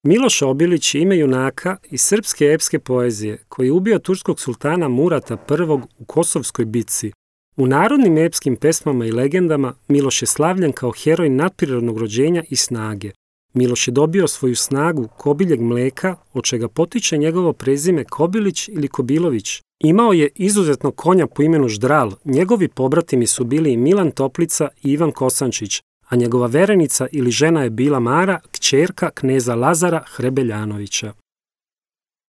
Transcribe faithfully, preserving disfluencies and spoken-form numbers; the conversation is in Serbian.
Miloš Obilić je ime junaka iz srpske epske poezije koji je ubio turskog sultana Murata prvog u Kosovskoj bitci. U narodnim epskim pesmama i legendama Miloš je slavljen kao heroj nadprirodnog rođenja i snage. Miloš je dobio svoju snagu kobiljeg mleka, od čega potiče njegovo prezime Kobilić ili Kobilović. Imao je izuzetnog konja po imenu Ždral, njegovi pobratimi su bili Milan Toplica i Ivan Kosančić, a njegova verenica ili žena je bila Mara, kćerka kneza Lazara Hrebeljanovića.